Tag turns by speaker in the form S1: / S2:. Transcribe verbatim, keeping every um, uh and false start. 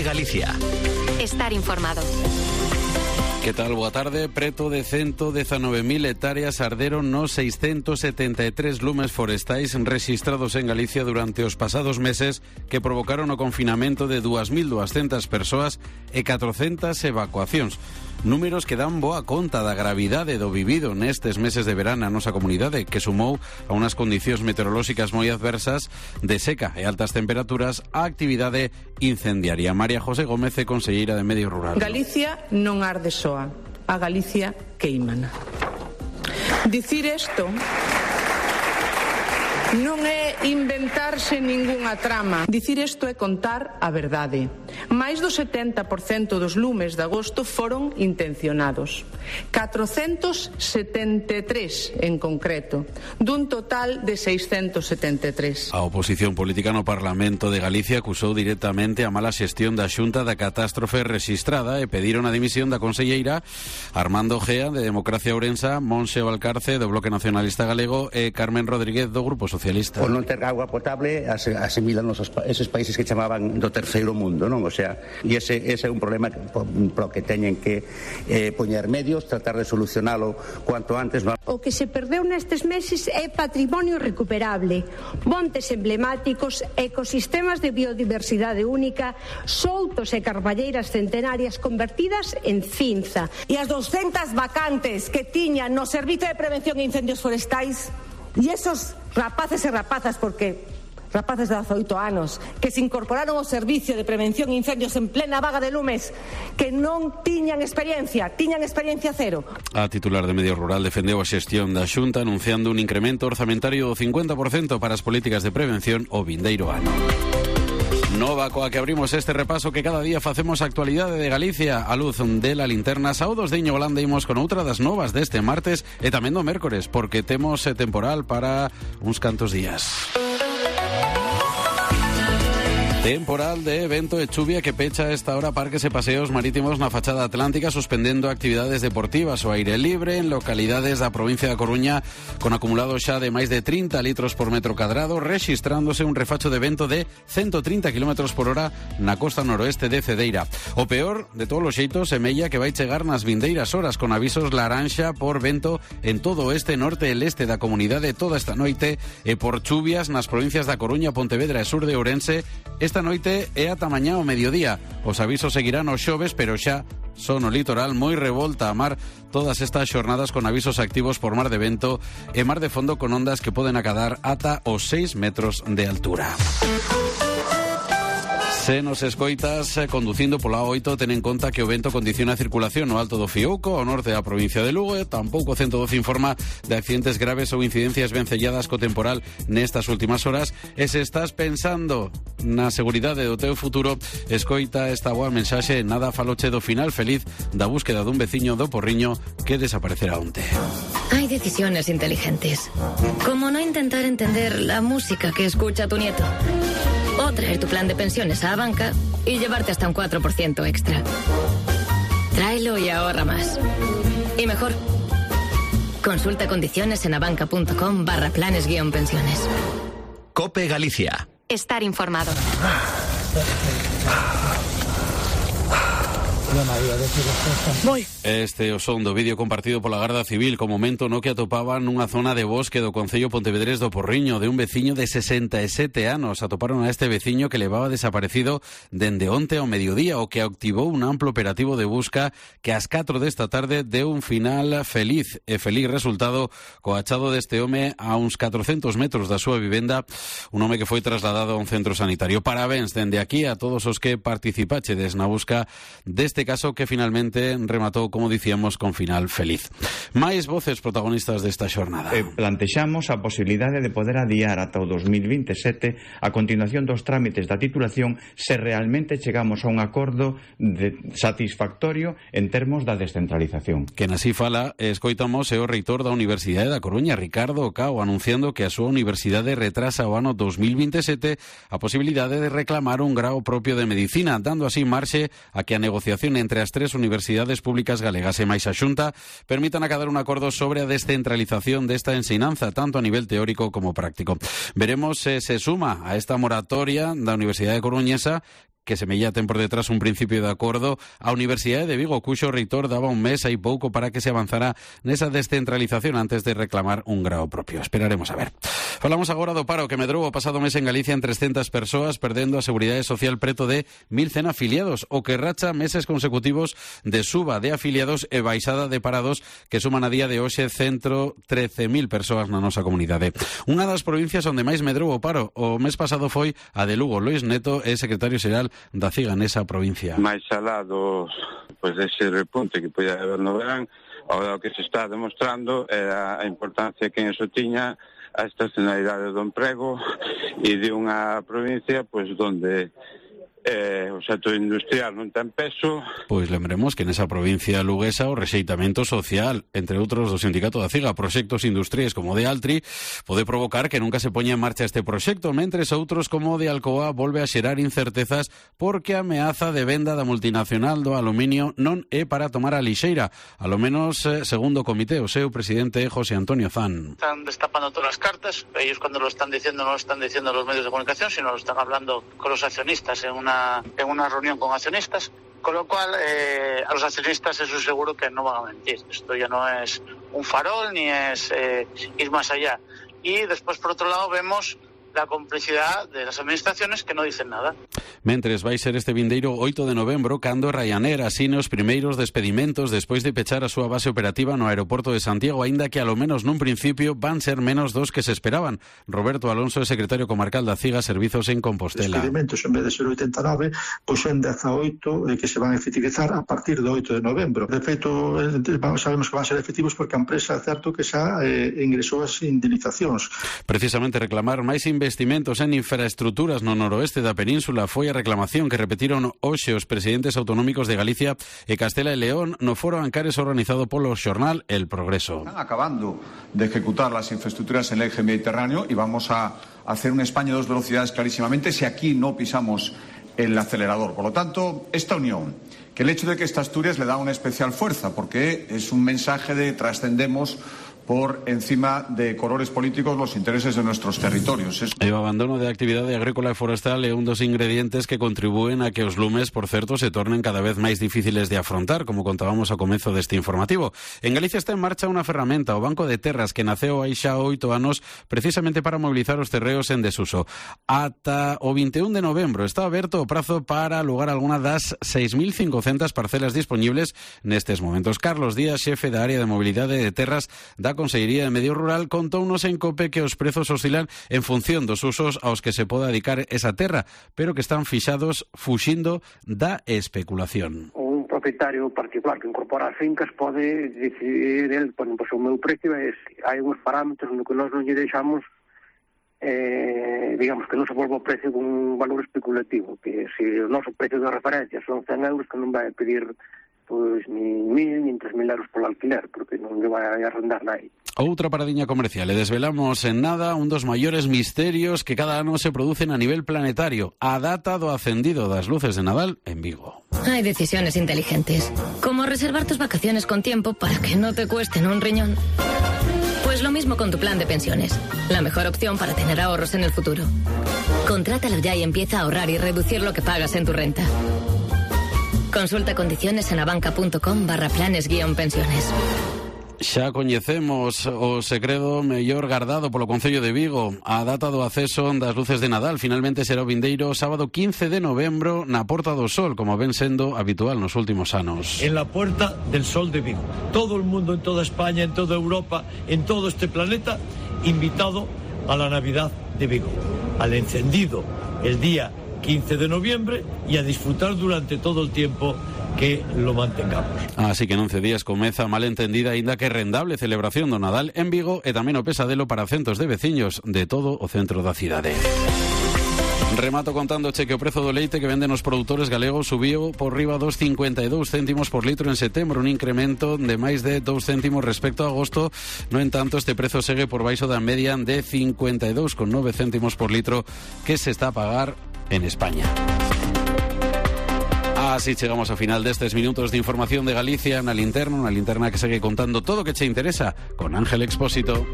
S1: Galicia.
S2: Estar informado.
S3: Que tal? Boa tarde. Preto de ciento diecinueve mil hectáreas arderon nos seiscentos setenta e tres lumes forestais rexistrados en Galicia durante os pasados meses, que provocaron o confinamento de dúas mil duascentas persoas e catrocentas evacuacións. Números que dan boa conta da gravidade do vivido nestes meses de verán na nosa comunidade, que sumou a unhas condicións meteorolóxicas moi adversas de seca e altas temperaturas a actividade incendiaria. María José Gómez, conselleira de Medio Rural.
S4: Galicia non arde soa, a Galicia queimana. Dicir isto non é inventarse ningunha trama. Dicir isto é contar a verdade. Máis do setenta por cento dos lumes de agosto foron intencionados. catrocentos setenta e tres en concreto, dun total de seiscentos setenta e tres.
S3: A oposición política no Parlamento de Galicia acusou directamente a mala xestión da Xunta da catástrofe rexistrada e pediron a dimisión da conselleira Armando Gea, de Democracia Ourensa, Monse Valcarce, do Bloque Nacionalista Galego, e Carmen Rodríguez, do Grupo Socialista.
S5: Por non ter agua potable asimilan esos, esos países que chamaban do terceiro mundo, non? O sea, e ese, ese é un problema que, pro que teñen que eh, poñer medios, tratar de solucionalo cuanto antes. No?
S6: O que se perdeu nestes meses é patrimonio recuperable, montes emblemáticos, ecosistemas de biodiversidade única, soutos e carballeiras centenarias convertidas en cinza.
S7: E as doscientas vacantes que tiñan no Servizo de Prevención de Incendios Forestais, e esos rapaces e rapazas, porque rapaces de dezaoito anos que se incorporaron ao Servicio de Prevención de Incendios en plena vaga de lumes, que non tiñan experiencia, tiñan experiencia cero.
S3: A titular de Medio Rural defendeu a xestión da Xunta anunciando un incremento orzamentario do cincuenta por cento para as políticas de prevención o vindeiro ano. Nova coa que abrimos este repaso que cada día facemos a actualidade de Galicia a luz de la linterna. Saúdos de Iño Golanda, imos con outra das novas deste martes e tamén do mércores, porque temos temporal para uns cantos días. Temporal de vento e chuvia que pecha a esta hora parques e paseos marítimos na fachada atlántica, suspendendo actividades deportivas ao aire libre en localidades da provincia da Coruña, con acumulado xa de máis de trinta litros por metro cadrado, rexistrándose un refacho de vento de ciento trinta kilómetros por hora na costa noroeste de Cedeira. O peor, de todos os xeitos, semella que vai chegar nas vindeiras horas, con avisos laranxa por vento en todo o este, norte e leste da comunidade toda esta noite, e por chuvias nas provincias da Coruña, Pontevedra e sur de Ourense. Esta noite é ata mañá ao mediodía. Os avisos seguirán os xoves, pero xa son o litoral moi revolta a mar todas estas xornadas, con avisos activos por mar de vento e mar de fondo con ondas que poden acadar ata os seis metros de altura. Se nos escoitas conducindo pola A oito, ten en conta que o vento condiciona a circulación no alto do Fiouco, ao norte da provincia de Lugo. Tampouco o ciento doce informa de accidentes graves ou incidencias vencelladas co temporal nestas últimas horas. E se estás pensando na seguridade do teu futuro, escoita esta boa mensaxe: nada faloche do final feliz da búsqueda dun veciño do Porriño que desaparecerá onte.
S8: Hay decisiones inteligentes, como no intentar entender la música que escucha tu nieto, o traer tu plan de pensiones a la banca y llevarte hasta un cuatro por ciento extra. Tráelo y ahorra más. Y mejor, consulta condiciones en abanca.com barra planes guión pensiones.
S1: COPE Galicia.
S2: Estar informado.
S3: Este o son do vídeo compartido pola Garda Civil co momento no que atopaban nunha zona de bosque do concello pontevedrés do Porriño de un veciño de sesenta e sete anos. Atoparon a este veciño que levaba desaparecido dende onte ao mediodía, o que activou un amplo operativo de busca que ás catro desta tarde deu un final feliz e feliz resultado co achado deste home a uns catrocentos metros da súa vivenda, un home que foi trasladado a un centro sanitario. Parabéns dende aquí a todos os que participachedes na busca deste caso que finalmente rematou, como dicíamos, con final feliz. Máis voces protagonistas desta xornada.
S9: Eh, plantexamos a posibilidade de poder adiar ata o dos mil vinte e sete a continuación dos trámites da titulación se realmente chegamos a un acordo de satisfactorio en termos da descentralización.
S3: Quen así fala, escoitamos, é o reitor da Universidade da Coruña, Ricardo Cao, anunciando que a súa universidade retrasa o ano dos mil vinte e sete a posibilidade de reclamar un grao propio de medicina, dando así marxe a que a negociación entre as tres universidades públicas galegas e máis a Xunta permitan acadar un acordo sobre a descentralización desta ensinanza, tanto a nivel teórico como práctico. Veremos se se suma a esta moratoria da Universidade Coruñesa, que se mellaten por detrás un principio de acordo. A Universidade de Vigo, cuxo reitor daba un mes hai pouco para que se avanzara nesa descentralización antes de reclamar un grao propio. Esperaremos a ver. Falamos agora do paro que medrou o pasado mes en Galicia en trescentas persoas, perdendo a Seguridade Social preto de mil cen afiliados, o que racha meses consecutivos de suba de afiliados e baixada de parados que suman a día de hoxe centro trece mil persoas na nosa comunidade. Unha das provincias onde máis medrou o paro o mes pasado foi a de Lugo. Luís Neto é secretario xeral da CIGA nesa provincia.
S10: Máis alá dos, pois, dese repunte que podía haber no verán, agora o que se está demostrando é a importancia que en eso tiña a estacionalidade do emprego e de unha provincia pois donde Eh, o sector industrial non ten peso.
S3: Pois lembremos que nesa provincia luguesa o rexeitamento social, entre outros do sindicato da CIGA, proxectos industriais como o de Altri, pode provocar que nunca se poña en marcha este proxecto, mentres outros como o de Alcoa volve a xerar incertezas porque a ameaza de venda da multinacional do aluminio non é para tomar a lixeira, alo menos eh, segundo o comité, o seu presidente José Antonio Zan.
S11: Están destapando todas las cartas, ellos cuando lo están diciendo no lo están diciendo los medios de comunicación, sino lo están hablando con los accionistas en una en una reunión con accionistas, con lo cual eh, a los accionistas eso seguro que no van a mentir. Esto ya no es un farol ni es eh, ir más allá. Y después, por otro lado, vemos la complicidade das administraciones que non dicen nada.
S3: Mentres vai ser este vindeiro oito de novembro cando Ryanair asine os primeiros despedimentos despois de pechar a súa base operativa no aeroporto de Santiago, aínda que a lo menos nun principio van ser menos dos que se esperaban. Roberto Alonso é secretario comarcal da CIGA Servizos en Compostela.
S12: Despedimentos en vez de ser oitenta e nove, pois son dezaoito que se van a efectivizar a partir do oito de novembro. De feito, sabemos que van a ser efectivos porque a empresa é certo que xa eh, ingresou as indemnizacións.
S3: Precisamente reclamar máis investimentos en infraestructuras no noroeste da península foi a reclamación que repetiron hoxe os presidentes autonómicos de Galicia e Castela e León no foro Ancares organizado polo xornal El Progreso.
S13: Están acabando de ejecutar las infraestructuras en el eje mediterráneo y vamos a hacer una España de dos velocidades clarísimamente si aquí no pisamos el acelerador. Por lo tanto, esta unión, que el hecho de que esta Asturias le da una especial fuerza, porque es un mensaje de trascendemos por encima de colores políticos los intereses de nuestros territorios. Es...
S3: O abandono de actividade agrícola e forestal é un dos ingredientes que contribúen a que os lumes, por certo, se tornen cada vez máis difíciles de afrontar, como contábamos ao comezo deste informativo. En Galicia está en marcha unha ferramenta, o Banco de Terras, que naceu hai xa oito anos precisamente para mobilizar os terreos en desuso. Ata o vinte e un de novembro está aberto o prazo para alugar alguna das seis mil cincocentas parcelas disponibles nestes momentos. Carlos Díaz, xefe da área de mobilidade de terras da Consellería de Medio Rural, contounos en COPE que os prezos oscilan en función dos usos aos que se pode dedicar esa terra, pero que están fixados fuxindo da especulación.
S14: Un propietario particular que incorpora as fincas pode decidir, el, bueno, pues o meu precio é, hai uns parámetros no que nós non lle deixamos eh, digamos que non se volva o precio con un valor especulativo, que se o noso precio de referencia son cen euros, que non vai a pedir pois ni mil, ni tres mil euros polo alquiler, porque non lle vai a arrendar nadie.
S3: Outra paradiña comercial, e desvelamos en nada un dos maiores misterios que cada ano se producen a nivel planetario, a data do acendido das luces de Nadal en Vigo.
S8: Hay decisiones inteligentes, como reservar tus vacaciones con tiempo para que no te cuesten un riñón. Pues lo mismo con tu plan de pensiones, la mejor opción para tener ahorros en el futuro. Contrátalo ya y empieza a ahorrar y reducir lo que pagas en tu renta. Consulta condiciones en abanca.com barra planes guión pensiones.
S3: Xa coñecemos o segredo mellor gardado polo Concello de Vigo. A data do acceso das luces de Nadal finalmente será o vindeiro sábado quince de novembro na Porta do Sol, como ven sendo habitual nos últimos anos.
S15: En la Puerta del Sol de Vigo. Todo el mundo en toda España, en toda Europa, en todo este planeta, invitado a la Navidad de Vigo, al encendido el día quince de noviembre y a disfrutar durante todo el tiempo que lo mantengamos.
S3: Así que en once días comeza mal entendida aínda que rendable celebración do Nadal en Vigo e tamén o pesadelo para centos de veciños de todo o centro da cidade. Remato contándoche que o prezo do leite que venden os produtores galegos subiu por riba dos cincuenta e dous céntimos por litro en setembro, un incremento de máis de dous céntimos respecto a agosto. No entanto, este prezo segue por baixo da media de cincuenta e dous con nove céntimos por litro que se está a pagar en España. Así chegamos ao final destes minutos de información de Galicia na linterna, unha linterna que segue contando todo o que che interesa con Ángel Expósito.